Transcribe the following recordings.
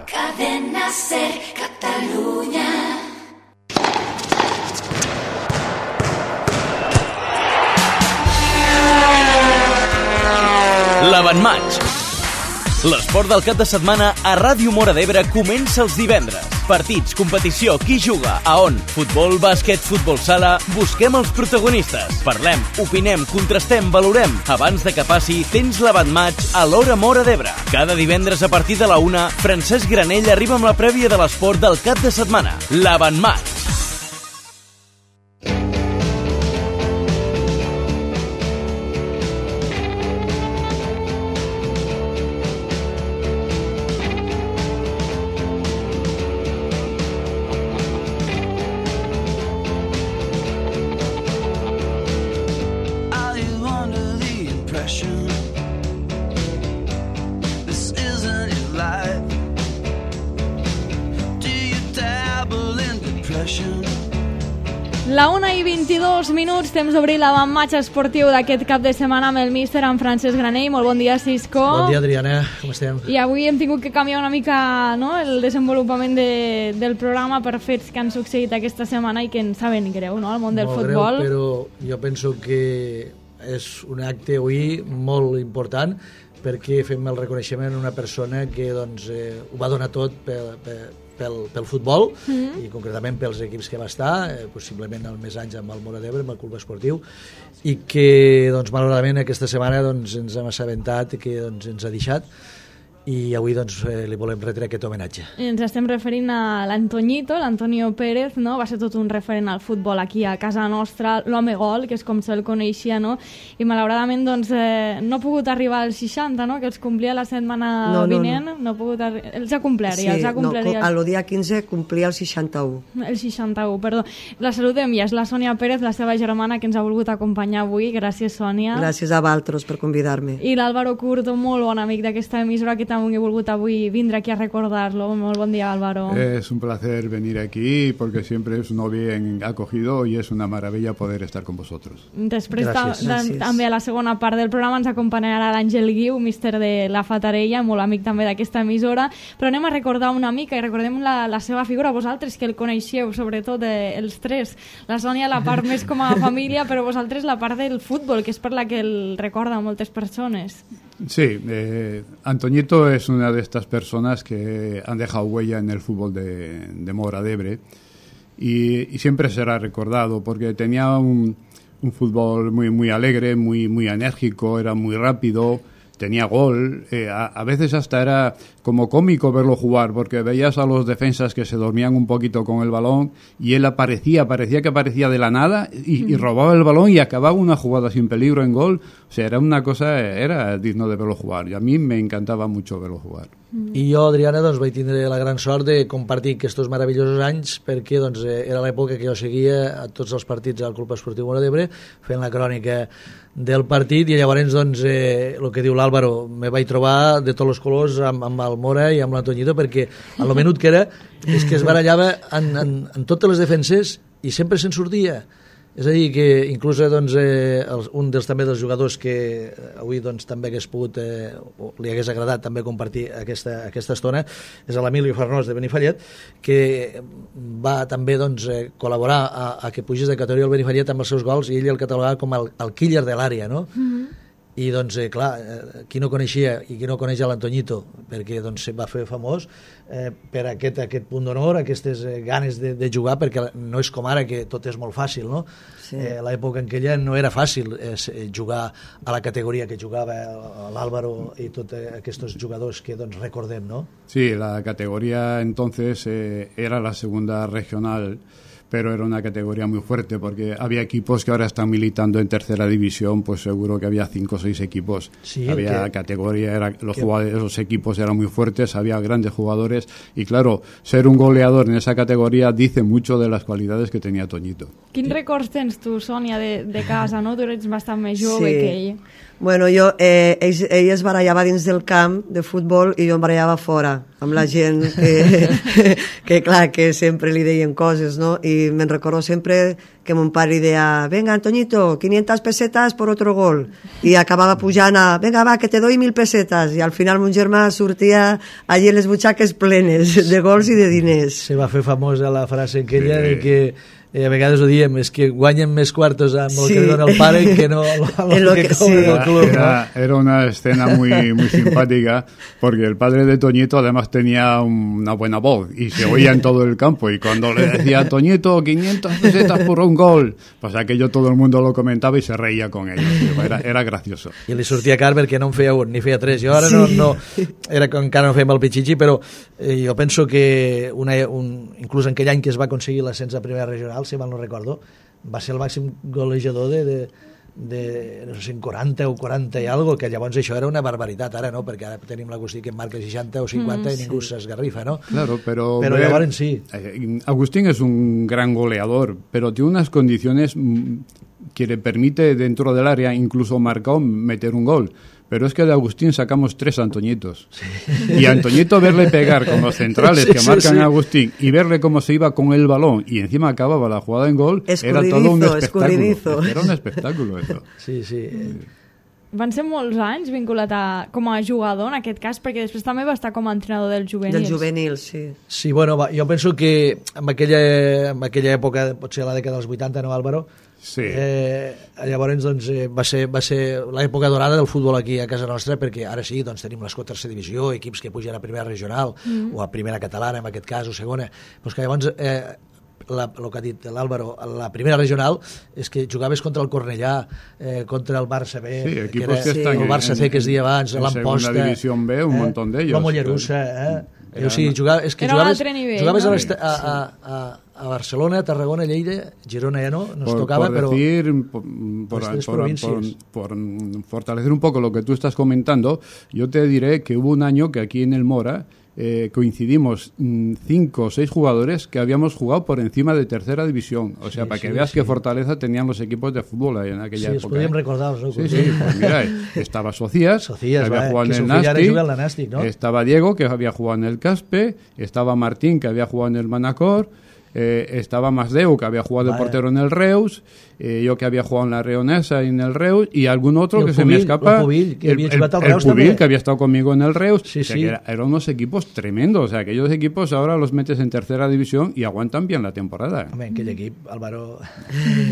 Cadena Ser Catalunya. L'Avantmatx. L'esport del cap de setmana a Ràdio Móra d'Ebre comença els divendres. Partits, competició, qui juga, a on, futbol, bàsquet, futbol sala... Busquem els protagonistes. Parlem, opinem, contrastem, valorem. Abans de que passi, tens l'Avantmatx a l'Hora Móra d'Ebre. Cada divendres a partir de la 1, Francesc Granell arriba amb la prèvia de l'esport del cap de setmana. L'Avantmatx. La 1:22, temps d'obrir l'Avantmatx esportiu d'aquest cap de setmana amb el míster, en Francesc Granell. Molt bon dia, Cisco. Bon dia, Adriana. Com estem? I avui hem tingut que canviar una mica, no?, el desenvolupament del programa per fets que han succeït aquesta setmana i que ens saben greu, no?, al món del futbol. Molt greu, però jo penso que és un acte avui molt important perquè fem el reconeixement a una persona que doncs, ho va donar tot pel futbol i concretament pels equips que va estar, possiblement el més anys amb el Móra d'Ebre, amb el club esportiu, i que doncs, malauradament aquesta setmana doncs, ens hem assabentat que doncs, ens ha deixat, i avui doncs, li volem retre aquest homenatge. Ens estem referint a l'Antoñito, l'Antonio Pérez, no? Va ser tot un referent al futbol aquí a casa nostra, l'home gol, que és com se'l coneixia, no? I malauradament doncs, no ha pogut arribar als 60, no?, que els complia la setmana vinent. No ha pogut els ha complert, sí, els ha complert. Sí, el dia 15 complia el 61. El 61, perdó. La saludem ja, és la Sònia Pérez, la seva germana, que ens ha volgut acompanyar avui. Gràcies, Sònia. Gràcies a vosaltres per convidar-me. I l'Álvaro Curto, molt bon amic d'aquesta emissora, que també he volgut avui vindre aquí a recordar-lo. Molt bon dia, Álvaro. Es un placer venir aquí porque siempre es uno bien acogido y es una maravilla poder estar con vosotros. Després també a la segona part del programa ens acompanyarà l'Àngel Guiu, míster de la Fatarella, molt amic també d'aquesta emissora, però anem a recordar una mica i recordem la seva figura, vosaltres que el coneixeu, sobretot els tres. La Sònia la part més com a família, però vosaltres la part del futbol, que és per la que el recorda moltes persones. Sí, Antoñito es una de estas personas que han dejado huella en el fútbol de Móra d'Ebre y siempre será recordado porque tenía un fútbol muy alegre, muy enérgico, era muy rápido, tenía gol, a veces hasta era como cómico verlo jugar porque veías a los defensas que se dormían un poquito con el balón y él parecía que aparecía de la nada y robaba el balón y acababa una jugada sin peligro en gol. O sea, era una cosa, era digno de verlo jugar y a mí me encantava mucho verlo jugar. I jo, Adriana, doncs, vaig tindre la gran sort de compartir aquests meravellosos anys perquè doncs, era l'època que jo seguia a tots els partits al Club Esportiu Móra d'Ebre fent la crònica del partit i llavors doncs, el que diu l'Àlvaro, me vaig trobar de tots els colors amb el Móra i amb l'Antoñito perquè al menut que era és que es barallava en totes les defenses i sempre se'n sortia. És a dir, que inclús doncs, un també dels jugadors que avui doncs, també hagués pogut, li hagués agradat també compartir aquesta estona, és l'Emilio Farnós de Benifallet, que va també doncs, col·laborar a que pugés de categoria el Benifallet amb els seus gols i ell el catalogava com el killer de l'àrea, no? I doncs, clar, qui no coneixia i qui no coneix l'Antoñito, perquè doncs, se va fer famós per aquest punt d'honor, aquestes ganes de jugar, perquè no és com ara que tot és molt fàcil, no? Sí. L'època en què ella no era fàcil jugar a la categoria que jugava l'Álvaro i tots aquests jugadors que doncs, recordem, no? Sí, la categoría entonces era la segunda regional, pero era una categoría muy fuerte porque había equipos que ahora están militando en tercera división, pues seguro que había 5 o 6 equipos. Sí, había categoría, los equipos eran muy fuertes, había grandes jugadores y claro, ser un goleador en esa categoría dice mucho de las cualidades que tenía Toñito. Quins records tens tu, Sònia, de casa, no? Tu ets bastant més jove que ell. Bueno, ell es barallava dins del camp de futbol i jo em barallava fora amb la gent que clar, que sempre li deien coses, no? I y me recuerdo siempre que mon pare decía, venga Antoñito, 500 pesetas por otro gol, y acababa pujant a, venga va, que te doy 1.000 pesetas, i al final mon germà sortia allí les butxaques plenes de gols i de diners. Se va fer famosa la frase aquella de que a vegades ho diem, és que guanyen més quartos amb el que dona el pare que no lo que cobra el club. Era una escena muy simpática, porque el padre de Toñito además tenía una buena voz y se oía en todo el campo, y cuando le decía Toñito, 500 pesetas por un gol, pues aquello todo el mundo lo comentaba y se reía con ellos. Era gracioso. I li sortia car perquè no en feia un ni feia tres. Jo ara no era que encara no fèiem el pitxitxi, però jo penso que inclús en aquell any que es va aconseguir l'ascens a primera regional, si mal no recordo, va ser el màxim golejador de no sé, 40 o 40 i algo, que llavors això era una barbaritat. Ara no, perquè ara tenim l'Agustí que en marca 60 o 50 i ningú s'esgarrifa, ¿no? Claro, pero llavors sí. Agustín es un gran goleador, pero tiene unas condiciones que le permite dentro del área, incluso marcado, meter un gol. Pero es que de Agustín sacamos 3 Antoñitos. Sí. Y a Antoñito verle pegar con los centrales que marcan a Agustín y verle cómo se iba con el balón y encima acababa la jugada en gol, era todo un espectáculo. Era un espectáculo eso. Sí. Van ser molts anys vinculat com a jugador, en aquest cas, perquè després també va estar com a entrenador dels juvenils. Dels juvenils, sí. Sí, bueno, jo penso que en aquella època, potser la dècada dels 80, no, Álvaro? Sí. Llavors doncs, va ser l'època dorada del futbol aquí a casa nostra, perquè ara sí, doncs, tenim l'escó tercera divisió, equips que pugen a primera regional o a primera catalana en aquest cas, o segona, però que llavors el que ha dit l'Àlvaro, la primera regional és que jugaves contra el Cornellà, contra el Barça B, que era el Barça C que es deia abans, l'Amposta, segunda división B, un montón de ellos, la Mollerussa, o sigui, jugaves a Barcelona, Tarragona, Lleida, Girona ya no nos tocaba, pero por fortalecer un poco lo que tú estás comentando, yo te diré que hubo un año que aquí en el Mora coincidimos 5 o 6 jugadores que habíamos jugado por encima de tercera división. O sea, para que veas qué fortaleza tenían los equipos de fútbol ahí en aquella época. Sí, podíem recordar-los, ¿no? Sí, pues mira, estaba Socias, que había jugado en el Nàstic, ¿no? Estaba Diego, que había jugado en el Caspe, estaba Martín, que había jugado en el Manacor, estaba Masdeu, que había jugado de portero en el Reus, yo que había jugado en la Reonesa y en el Reus, y algún otro que se me escapa, el Pubil, que había estado conmigo en el Reus. Sí, o sea, que eran unos equipos tremendos. O sea, aquellos equipos ahora los metes en tercera división y aguantan bien la temporada. Home, en aquell equip, Álvaro,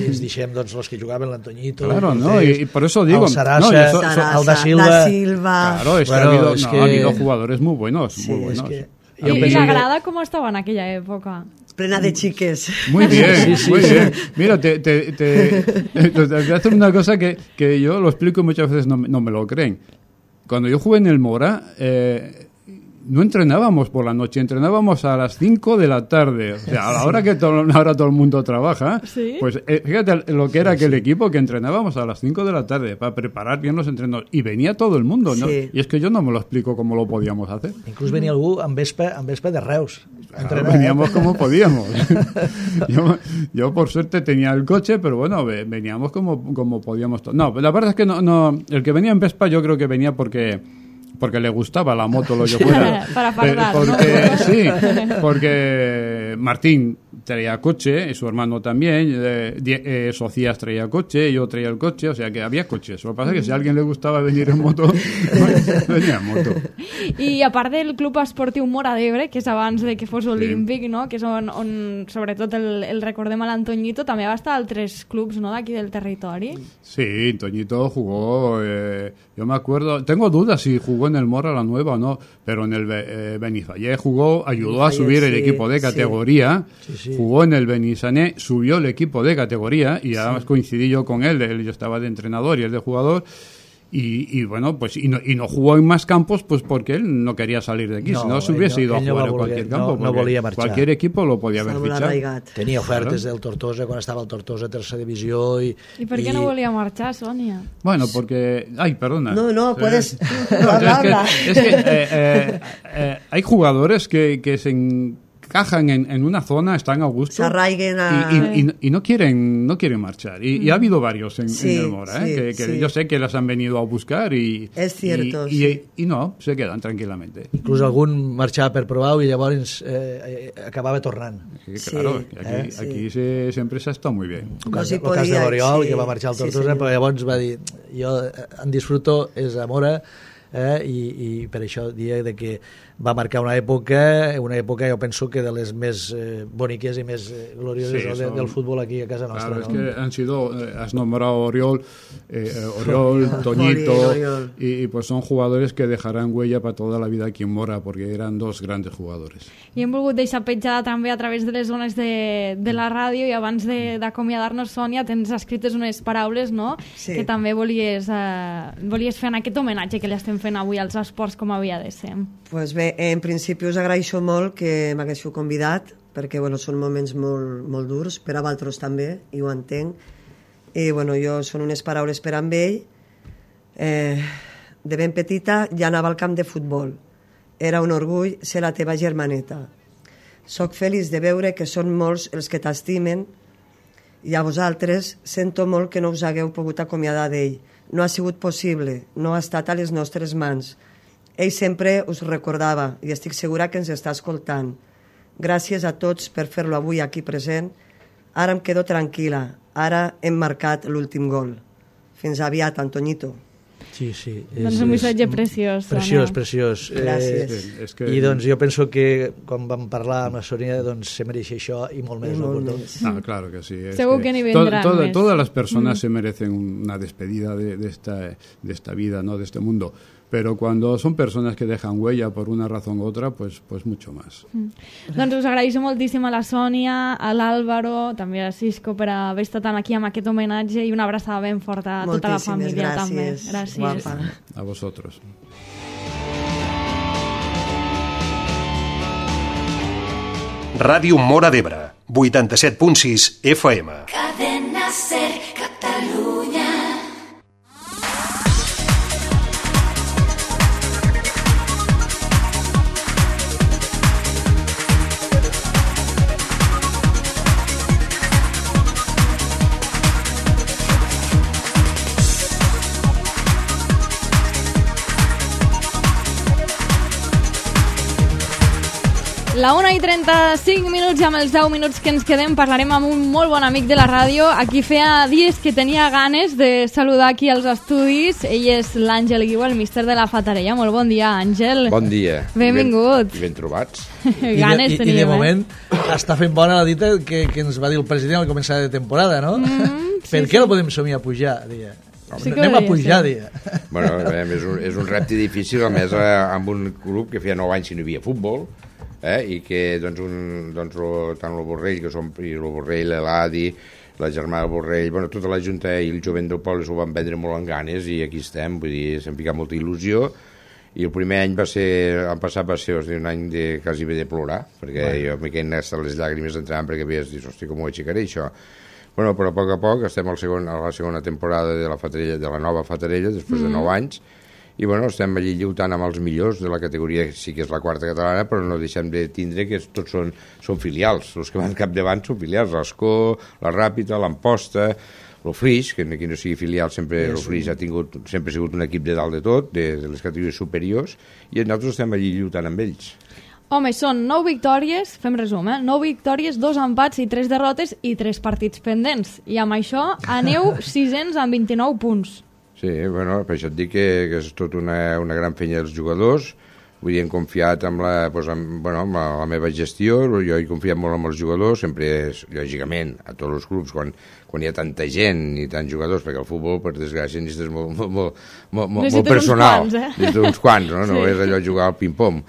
ens deixem doncs, los que jugaven, l'Antoñito, claro, ¿no? Y por eso digo, el Sarasa, el da Silva. Claro, es que ha habido jugadores muy buenos, sí, muy buenos. I l'Agrada com estava en aquella època? Plena de chiques. Muy bien, muy bien. Mira, te voy a hacer una cosa que yo lo explico y muchas veces no me lo creen. Cuando yo jugué en el Mora, no entrenábamos por la noche, entrenábamos a las 5 de la tarde. O sea, a la hora que ahora todo el mundo trabaja, ¿sí? Pues fíjate lo que era aquel equipo, que entrenábamos a las 5 de la tarde para preparar bien los entrenos. Y venía todo el mundo, ¿no? Sí. Y es que yo no me lo explico cómo lo podíamos hacer. Inclús venia algú amb vespa de Reus. Claro, veníamos como podíamos. yo por suerte tenía el coche, pero bueno, veníamos como podíamos. No, la verdad es que no, el que venía en Vespa yo creo que venía porque le gustaba la moto, lo que fuera. Para fardar, ¿no? Sí, porque Martín traía coche, y su hermano también, Socias traía coche, yo traía el coche, o sea que había coches. Lo que pasa es que si a alguien le gustaba venir en moto, venía en moto. I a part del Club Esportiu Mora d'Ebre, que és abans de que fos olímpic, no? Que és on sobretot el recordem a l'Antoñito, també va estar a altres clubs, no?, d'aquí del territori. Sí, Toñito jugó, yo me acuerdo, tengo dudas si jugó en el Mora la Nueva o no, pero en el Benifallé jugó, ayudó a subir el equipo de categoría, jugó en el Benissané, subió el equipo de categoría y además coincidí yo con él, yo estaba de entrenador y él de jugador. Y bueno, pues y no jugó en más campos pues porque él no quería salir de aquí, si no se hubiese ido a jugar en cualquier campo, no volia marxar. Cualquier equipo lo podía haver fichado. Tenia ofertes del Tortosa quan estava el Tortosa tercera divisió I per què no volia marxar, Sònia? Bueno, porque... Ay, perdona. No, puedes... Es que hay jugadores que encajan en una zona, están a gusto. Se arraiguen y no quieren marchar. Y ha habido varios en el Mora, que yo sé que las han venido a buscar y... Es cierto, y no, se quedan tranquilamente. Inclús algun marxava per provar i llavors acabava tornant. Claro, aquí siempre se ha estado muy bien. El cas de l'Oriol, que va marxar al Tortosa, però llavors va dir, jo en disfruto, és a Mora, i per això dia de que va marcar una època jo penso que de les més boniques i més glorioses del fútbol aquí a casa nostra. Claro, es que han sido, has nombrado Oriol, Toñito, y pues son jugadores que dejarán huella para toda la vida aquí en Mora, porque eran dos grandes jugadores. I hem volgut deixar petjada també a través de les zones de la ràdio, i abans d'acomiadar-nos, Sònia, tens escrites unes paraules, no? Sí. Que també volies fer en aquest homenatge que li estem fent avui als esports com havia de ser. Pues bé, en principi us agraeixo molt que m'haguéssiu convidat, perquè bueno, són moments molt, molt durs, per a vosaltres també, i ho entenc. I bueno, jo són unes paraules per amb ell. De ben petita ja anava al camp de futbol. Era un orgull ser la teva germaneta. Soc feliç de veure que són molts els que t'estimen, i a vosaltres sento molt que no us hagueu pogut acomiadar d'ell. No ha sigut possible, no ha estat a les nostres mans. Ell sempre us recordava, i estic segura que ens està escoltant. Gràcies a tots per fer-lo avui aquí present. Ara em quedo tranquil·la. Ara hem marcat l'últim gol. Fins aviat, Antoñito. Sí. Doncs un missatge preciós. Preciós. Gràcies. I doncs jo penso que quan vam parlar amb la Sònia doncs se mereix això i molt més. Claro que sí. Segur que n'hi vendrán més. Todas las personas se merecen una despedida de esta vida, ¿no? De este mundo. Pero cuando son personas que dejan huella por una razón u otra, pues mucho más. Doncs us agraeixo moltíssim a la Sònia, a l'Àlvaro, també a Cisco per haver estat aquí amb aquest homenatge, i una abraçada ben forta a tota la família. Gràcies. També. Gràcies. Guapa. A vosotros. Ràdio Mora d'Ebre, 87.6 FM. Cadena Ser, Catalunya. La 1:35 i amb els 10 minuts que ens quedem parlarem amb un molt bon amic de la ràdio. Aquí feia dies que tenia ganes de saludar aquí als estudis. Ell és l'Àngel Guiu, el míster de la Fatarella. Molt bon dia, Àngel. Bon dia. Benvingut. I ben trobats. Ganes teníem, I de moment està fent bona la dita que ens va dir el president al començar de temporada, no? Per què no podem somiar a pujar, dia? Sí, anem a pujar, dia. Bueno, és un repte difícil, a més amb un club que feia 9 anys que no hi havia futbol, i que tant el Borrell, que som el Borrell, l'Adi, la germana del Borrell, bueno, tota la Junta i el jovent del poble s'ho van prendre molt en ganes, i aquí estem, vull dir, s'han ficat molta il·lusió, i el primer any l'any passat va ser un any de quasi bé de plorar, perquè jo m'he quedat hasta les llàgrimes entrant, perquè havies dit, hosti, com ho aixecaré això? Bueno, però a poc estem a la segona temporada de la Fatarella, de la nova Fatarella, després de 9 anys, i bueno, estem allí lluitant amb els millors de la categoria, sí que és la quarta catalana, però no deixem de tindre que tots són filials, els que van capdavant són filials, l'Escó, la Ràpita, l'Amposta, el Flix, que aquí no sigui filial, sempre el Flix sempre ha sigut un equip de dalt de tot, de les categories superiors, i nosaltres estem allí lluitant amb ells. Home, són 9 victòries, fem resum, 9 victòries, 2 empats i 3 derrotes i 3 partits pendents. I amb això aneu 600 amb 29 punts. Sí, bueno, per això et dic que és tot una gran feina dels jugadors. Vull dir, hem confiat amb la meva gestió, jo he confiat molt en els jugadors, sempre, lògicament, a tots els clubs, quan hi ha tanta gent i tants jugadors, perquè el futbol, per desgràcia, necessites molt personal. Necessites uns quants, no? No és allò jugar al ping-pong.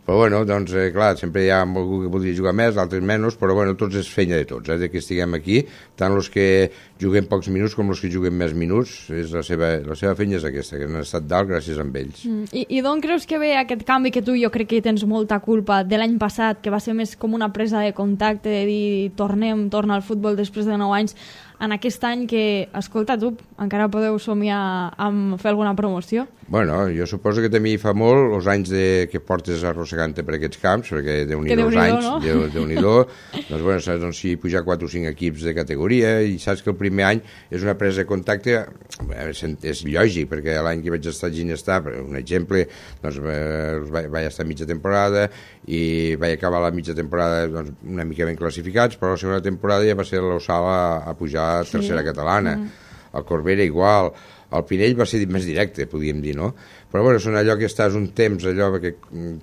Però bueno, doncs, clar, sempre hi ha algú que voldria jugar més, altres menys, però bueno, tots és feina de tots, de que estiguem aquí, tant els que juguem pocs minuts com els que juguem més minuts, la seva feina és aquesta, que han estat dalt gràcies a ells. I d'on creus que ve aquest canvi que tu, jo crec que hi tens molta culpa, de l'any passat, que va ser més com una presa de contacte, de dir, torna al futbol després de 9 anys, en aquest any que, escolta tu, encara podeu somiar amb fer alguna promoció? Bueno, jo suposo que també hi fa molt els anys que portes arrossegant-te per aquests camps, perquè Déu-n'hi-do els anys, no? Déu-n'hi-do. Doncs, bueno, saps, doncs, si pujar 4 o 5 equips de categoria, i saps que el primer any és una presa de contacte, és lògic, perquè l'any que vaig estar a Ginestar, per un exemple, doncs vaig estar mitja temporada i vaig acabar la mitja temporada doncs, una mica ben classificats, però la segona temporada ja va ser l'Ossal a pujar a tercera catalana. El Corbera igual. El Pinell va ser més directe, podríem dir, no? Però, bueno, són allò que estàs un temps, allò que,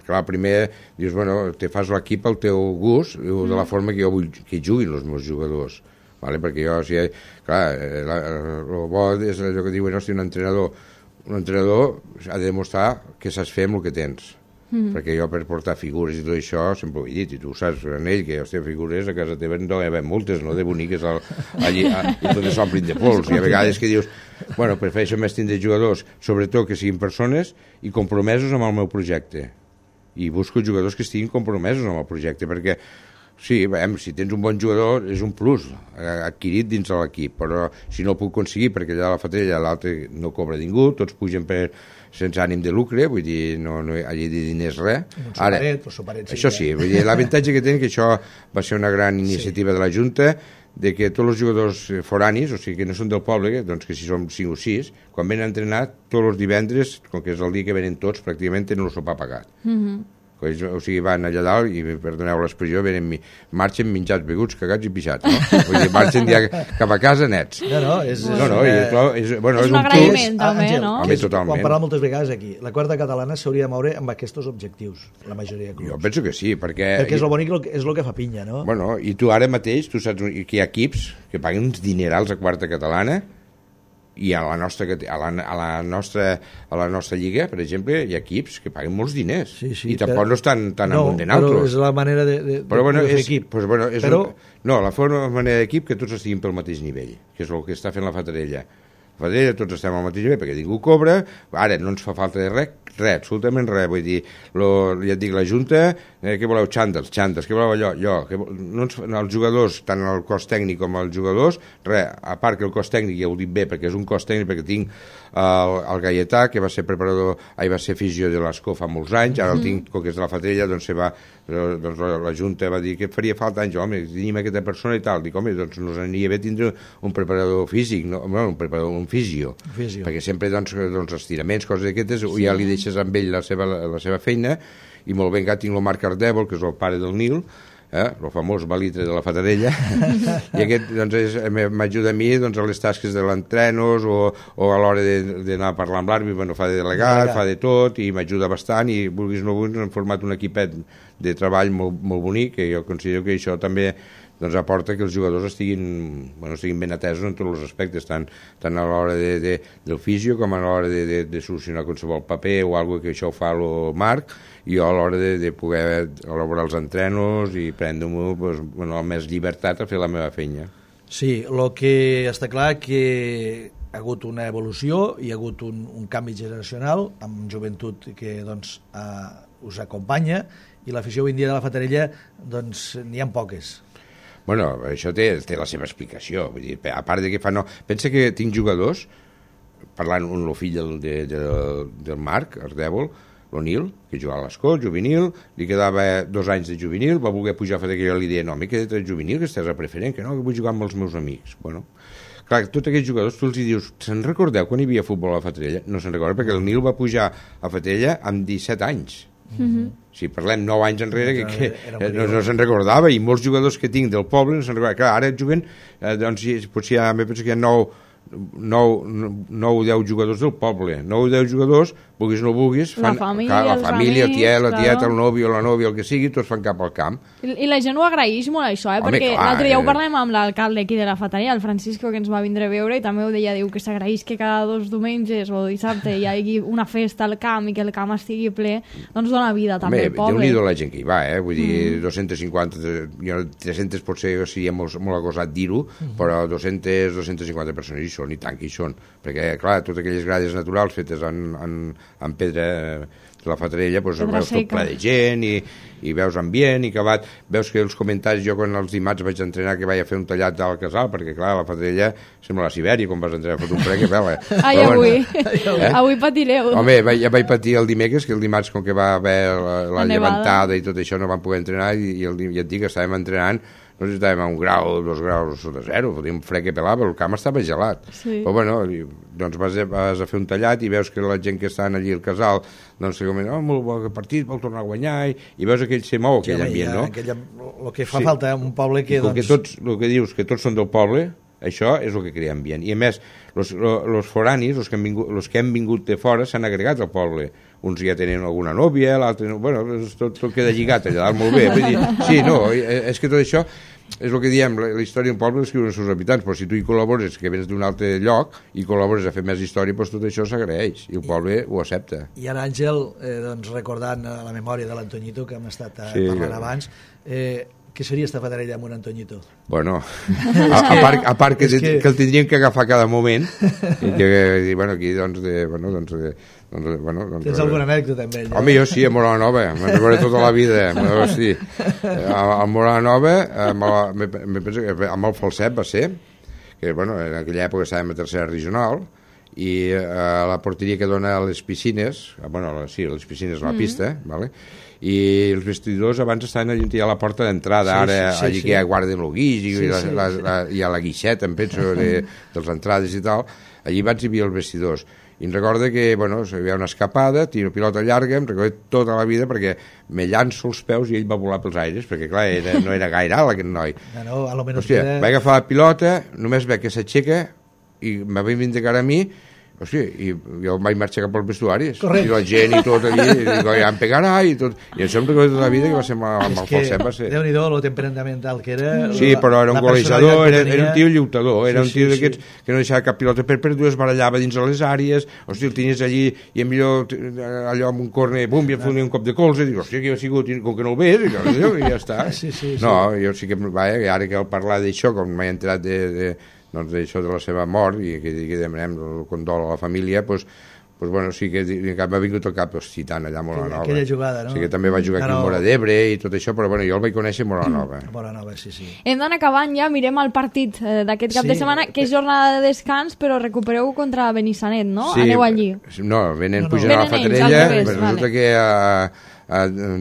clar, primer dius, bueno, te fas l'equip al teu gust, de la forma que jo vull que juguin els meus jugadors, ¿vale? Perquè jo, o sigui, clar, el bo és allò que diuen, hosti, un entrenador ha de demostrar que saps fer amb el que tens. Perquè jo per portar figures i tot això sempre ho he dit, i tu saps en ell que hòstia, figures a casa teva no hi ha moltes, no? De boniques allí, i tot s'omplin de pols, i a vegades que dius, bueno, prefereixo més tindre jugadors, sobretot que siguin persones i compromesos amb el meu projecte, i busco jugadors que estiguin compromesos amb el projecte, perquè sí, si tens un bon jugador és un plus adquirit dins de l'equip, però si no ho puc aconseguir perquè allà a la Fatarella l'altre no cobra ningú, tots pugen sense ànim de lucre, vull dir, no allí de diners res. Ara, això sí, vull dir, l'avantatge que tenen que això va ser una gran iniciativa de la Junta, de que tots els jugadors foranis, o sigui, que no són del poble, doncs que si som 5 o 6, quan venen a entrenar, tots els divendres, com que és el dia que venen tots, pràcticament tenen el sopar pagat. O sigui, van allà dalt i, perdoneu l'expressió, marxen menjats, beguts, cagats i pixats, no? Vull dir, marxen ja cap a casa nets. És un agraïment, també, no? Quan parlem moltes vegades aquí, la quarta catalana s'hauria de moure amb aquests objectius, la majoria de clubs. Jo penso que sí, perquè és el bonic, és el que fa pinya, no? Bueno, i tu ara mateix, tu saps que hi ha equips que paguen uns dinerals a quarta catalana, i a la nostra lliga, per exemple, hi ha equips que paguen molts diners i tampoc no estan tan amunt de naltros. Però és la manera de fer equip. No, la manera d'equip que tots estiguin pel mateix nivell, que és el que està fent la Fatarella. La Fatarella tots estem al mateix nivell perquè ningú cobra, ara no ens fa falta de res, absolutament res, vull dir, ja et dic, la Junta, què voleu, xandals, què voleu allò, els jugadors, tant el cos tècnic com els jugadors, res, a part que el cos tècnic ja ho dic bé, perquè és un cos tècnic, perquè tinc el Gaietà, que va ser preparador, va ser fisio de l'Escó fa molts anys, ara el tinc, com que és de la Fatarella, doncs la Junta va dir que faria falta anys, home, tenim aquesta persona i tal, dic, home, doncs nos aniria bé tindre un preparador físic, un fisio, perquè sempre, doncs, estiraments, coses d'aquestes, ja li deixes amb ell la seva feina, i molt ben que tinc el Marc Ardèvol, que és el pare del Nil, el famós balitre de la Fatarella, i aquest doncs, m'ajuda a mi doncs, a les tasques de l'entrenos o a l'hora d'anar a parlar amb l'àrbitre, bueno, fa de delegat, fa de tot, i m'ajuda bastant, i vulguis no vulguis, hem format un equipet de treball molt, molt bonic, que jo considero que això també doncs aporta que els jugadors estiguin ben atesos en tots els aspectes, tant a l'hora del fisio com a l'hora de solucionar qualsevol paper o alguna que això ho fa el Marc, i a l'hora de poder elaborar els entrenos i prendre-m'ho amb més llibertat a fer la meva feina. Sí, el que està clar que ha hagut una evolució, hi ha hagut un canvi generacional amb joventut que doncs, us acompanya, i l'afició avui en dia de la Fatarella doncs n'hi ha poques. Bueno, això té la seva explicació, vull dir, a part de que pensa que tinc jugadors, parlant amb el fill del Marc Ardèvol, l'Onil, que jugava a l'Escó, juvenil, li quedava 2 anys de juvenil, va voler pujar a fer que jo li deia, no, m'he quedat juvenil, que estàs a preferent, que no, que vull jugar amb els meus amics. Bueno, clar, tots aquests jugadors, tu els dius, se'n recordeu quan hi havia futbol a la Fatarella? No se'n recorda, perquè el Nil va pujar a Fatarella amb 17 anys. Si parlem 9 anys enrere que no se'n recordava, i molts jugadors que tinc del poble no se'n recordava. Clar, ara juguen, doncs potser penso que hi ha 9 o 10 jugadors del poble, 9 o 10 jugadors, vulguis o no vulguis, fan, la família, el tiet, el nòvio, la nòvia, el que sigui, tots fan cap al camp. I la gent ho agraeix molt, això, perquè l'altre dia ho parlem amb l'alcalde aquí de la Fatarella, el Francisco, que ens va vindre a veure, i també ho deia, diu que s'agraeix que cada 2 dimenges o dissabte hi hagi una festa al camp i que el camp estigui ple, doncs dona vida també al poble. Déu-n'hi-do la gent que hi va, vull dir, 250, 300 potser seria molt agosat dir-ho, però 250 persones hi són, i tant que hi són, perquè, clar, totes aquelles grades naturals fetes en pedra de la Fatarella, doncs veus tot ple de gent i veus ambient i acabat, veus que els comentaris, jo quan els dimarts vaig entrenar que vaig a fer un tallat al casal, perquè clar, la Fatarella sembla la Sibèria quan vas entrenar a fer un fred que pela. Ai, avui patireu. Home, ja vaig patir el dimecres, que el dimarts com que va haver la llevantada i tot això no vam poder entrenar i et dic que estàvem entrenant, no sé si estàvem a 1 grau, 2 graus sota zero, fotia un fred que pelava, el camp estava gelat. Sí. Però bueno, doncs vas a fer un tallat i veus que la gent que estan allí al casal, doncs comenta, molt bon partit, vol tornar a guanyar, i veus aquell se mou, aquell ambient, no? El que fa falta un poble que... El que dius, que tots són del poble, això és el que crea ambient. I a més, els foranis, els que han vingut de fora, s'han agregat al poble. Uns ja tenen alguna nòvia, l'altre... Bueno, tot queda lligat allà dalt molt bé. Vull dir, sí, no, és que tot això és el que diem, la història d'un poble l'escriuen els seus habitants, però si tu hi col·labores, que vens d'un altre lloc, i col·labores a fer més història, doncs tot això s'agraeix, i el poble ho accepta. I ara, Àngel, doncs, recordant la memòria de l'Antoñito, que hem estat parlant abans, què seria esta Fatarella amb un Antoñito? Bueno, a part que el tindríem que agafar cada moment, i que, bueno, aquí, doncs, tens alguna anècdota amb ell? Home, jo sí, a Morala Nova, me'n recordo tota la vida, sí. A Morala Nova, amb el Falset va ser, que, bueno, en aquella època estàvem a tercera regional, i a la porteria que dona a les piscines, bueno, sí, les piscines a la pista, vale? I els vestidors abans estaven allà a la porta d'entrada, allí que ja guarden el guix i a la guixeta, em penso, de les entrades i tal, allí vaig hi havia els vestidors. I em recorda que, bueno, hi havia una escapada, tiro pilota llarga, em recordo tota la vida perquè me llanço els peus i ell va volar pels aires, perquè clar, no era gaire alt aquest noi. No, a lo menos hòstia, vaig agafar la pilota, només veig que s'aixeca i me va vindicar a mi. Hòstia, i jo vaig marxar cap als vestuaris. Correcte. I la gent i tot allí, i dic, ja em pegarà i tot. I això em recordo tota la vida que va ser amb el Falset, va ser. Déu-n'hi-do, lo temperamental que era. Sí, però era un golejador, era un tio lluitador, era un tio d'aquests que no deixava cap pilota per dues, barallava dins de les àrees, hòstia, el tenies allí i millor allò amb un corner, bum, i em fonia un cop de colze, i dic, hòstia, que ha sigut, com que no el ves, i ja està. No, jo sí que, ara que al parlar d'això, com m'he enterat doncs d'això de la seva mort i que demanem el condol a la família, doncs bueno, sí que m'ha vingut al cap Citant allà a Morala Nova. Aquella jugada, no? Sí que també va jugar aquí a Móra d'Ebre i tot això, però bueno, jo el vaig conèixer a Morala Nova. Morala Nova, sí. Hem d'anar acabant ja, mirem el partit d'aquest cap de setmana, que és jornada de descans, però recupereu contra Benissanet, no? Sí, aneu allí. No, venen pujant a la Fatarella, resulta que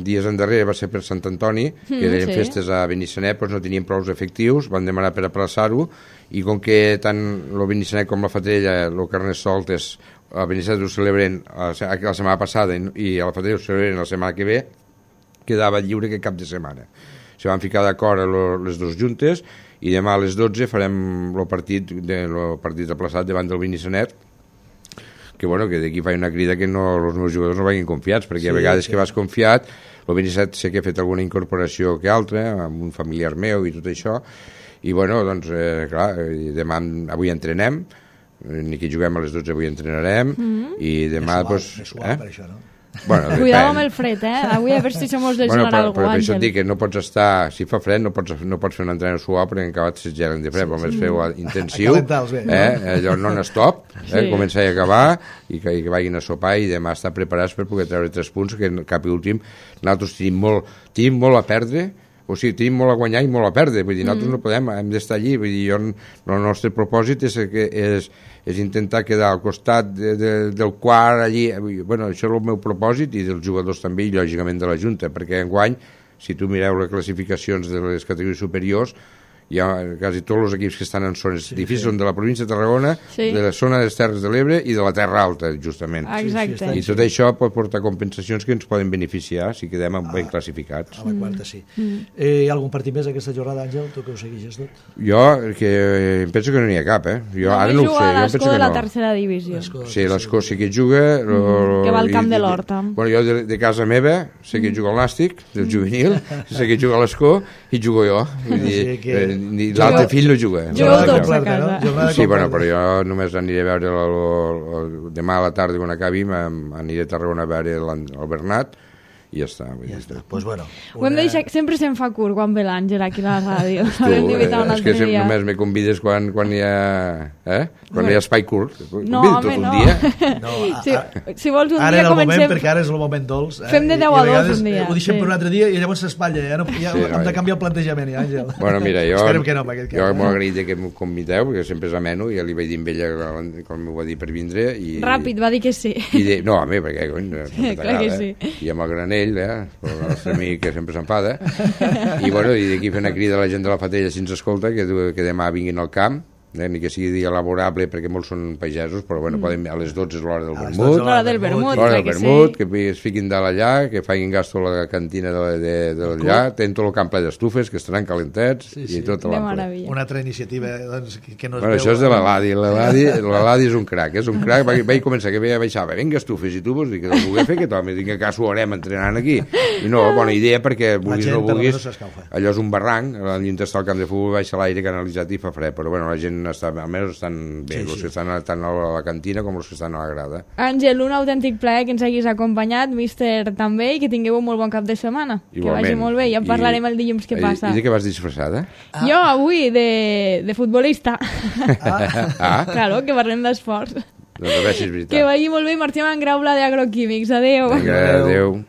dies endarrere va ser per Sant Antoni, que eren festes a Benissanet, doncs no tenien prou efectius, van demanar per aplaçar-ho, i com que tant el Benissanet com la Fatarella, el Carnestoltes, a Benissanet ho celebren la setmana passada i a la Fatarella ho celebren la setmana que ve, quedava lliure que cap de setmana. Se van ficar d'acord les dues juntes i demà a les 12 farem el partit aplaçat davant del Benissanet, que bueno, que d'aquí faig una crida que els meus jugadors no vagin confiats, perquè a vegades que vas confiat, el Benissanet sé que ha fet alguna incorporació que altra, amb un familiar meu i tot això, i bueno, doncs, clar, demà, avui entrenem, ni que juguem a les 12 avui entrenarem, i demà, doncs... És suau per això, no? Bueno, cuidado amb el fred, avui a veure si se mos desgelarà algú, però per això Àngel. et dic que no pots estar, si fa fred no pots fer un entrenament suau perquè en acabat se gelen de fred, però més feu intensiu, allò non-stop, començar i acabar i que vagin a sopar i demà estar preparats per poder treure 3 punts, que cap i últim nosaltres tenim molt a perdre, o sigui, tenim molt a guanyar i molt a perdre, vull dir, nosaltres no podem, hem d'estar allí, vull dir, el nostre propòsit és intentar quedar al costat del quart allí, bueno, això és el meu propòsit i dels jugadors també i lògicament de la Junta, perquè enguany, si tu mireu les classificacions de les categories superiors, hi ha quasi tots els equips que estan en zones difícils, són de la província de Tarragona, de la zona de les Terres de l'Ebre i de la Terra Alta, justament. Exacte. I tot això pot portar compensacions que ens poden beneficiar si quedem ben classificats. A la quarta, sí. Hi ha algun partit més aquesta jornada, Àngel? Tu que ho segueixes tot? Jo em penso que no n'hi ha cap, Jo ara no ho sé. Juga l'Escó de la tercera divisió. Sí, l'Escó sí que juga. Que va al camp de l'Horta. Bueno, jo de casa meva sé que juga al Nàstic, del juvenil, sé que juga a l'Escó i jugo jo. L'altre fill no juga. Jugueu tots a casa. Sí, bueno, però jo només aniré a veure demà a la tarda quan acabi, aniré a Tarragona a veure el Bernat i ja està. Ja està. Pues bueno, ho hem de deixar, sempre se'n fa curt quan ve l'Àngel aquí a la ràdio. És que només me convides quan hi ha quan hi ha espai curt. No, home, no. Si vols un ara dia comencem... Ara comencem... perquè ara és el moment dolç. Fem de 10 a 2 un dia. Ho deixem per un altre dia i llavors s'espatlla. Ja hem de canviar el plantejament, Àngel. Bueno, mira, jo molt agraït que m'ho convideu, perquè sempre és ameno, ja li vaig dir amb ella quan m'ho va dir per vindre. Ràpid, va dir que sí. No, home, perquè clar que sí. I amb el Granell, el nostre amic que sempre s'enfada, i bueno, i d'aquí fent una crida a la gent de la Fatella si ens escolta, que demà vinguin al camp, ni que sigui dia laborable perquè molts són pagesos, però bueno, poden, a les 12 és l'hora del vermut, l'hora del vermut, que es fiquin dalt allà, que facin gasto a la cantina d'allà, tenen tot el camp ple d'estufes que estaran calentets i tot l'ample. Una altra iniciativa que no es veu. Això és de l'Eladi, l'Eladi és un crac, vaig començar que baixava, vinga estufes, i tu vols dir que no ho voler fer, que també tinc que ho haurem entrenant aquí, i no, bona idea perquè vulguis o no vulguis, allò és un barranc, al llindar està el camp de futbol, baixa l'aire canalitzat i fa fred, però bueno, la gent almenys estan bé, els que estan tant a la cantina com els que estan a la grada. Àngel, un autèntic plaer que ens haguis acompanyat, míster també, i que tingueu un molt bon cap de setmana. Igualment. Que vagi molt bé, ja en parlarem el dilluns que passa. I de què vas disfressada? Jo avui de futbolista. Claro, que parlem d'esports. Doncs a veure si és veritat. Que vagi molt bé i marxem en Graula d'Agroquímics. Adéu. Adéu.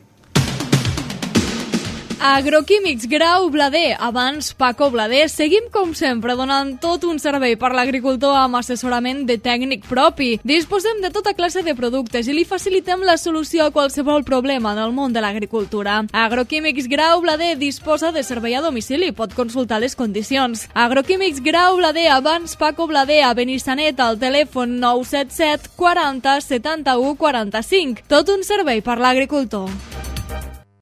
Agroquímics Grau Blader, abans Paco Blader. Seguim com sempre donant tot un servei per l'agricultor amb assessorament de tècnic propi. Disposem de tota classe de productes i li facilitem la solució a qualsevol problema en el món de l'agricultura. Agroquímics Grau Blader disposa de servei a domicili, pot consultar les condicions. Agroquímics Grau Blader, abans Paco Blader, a Benissanet, al telèfon 977 40 71 45. Tot un servei per l'agricultor.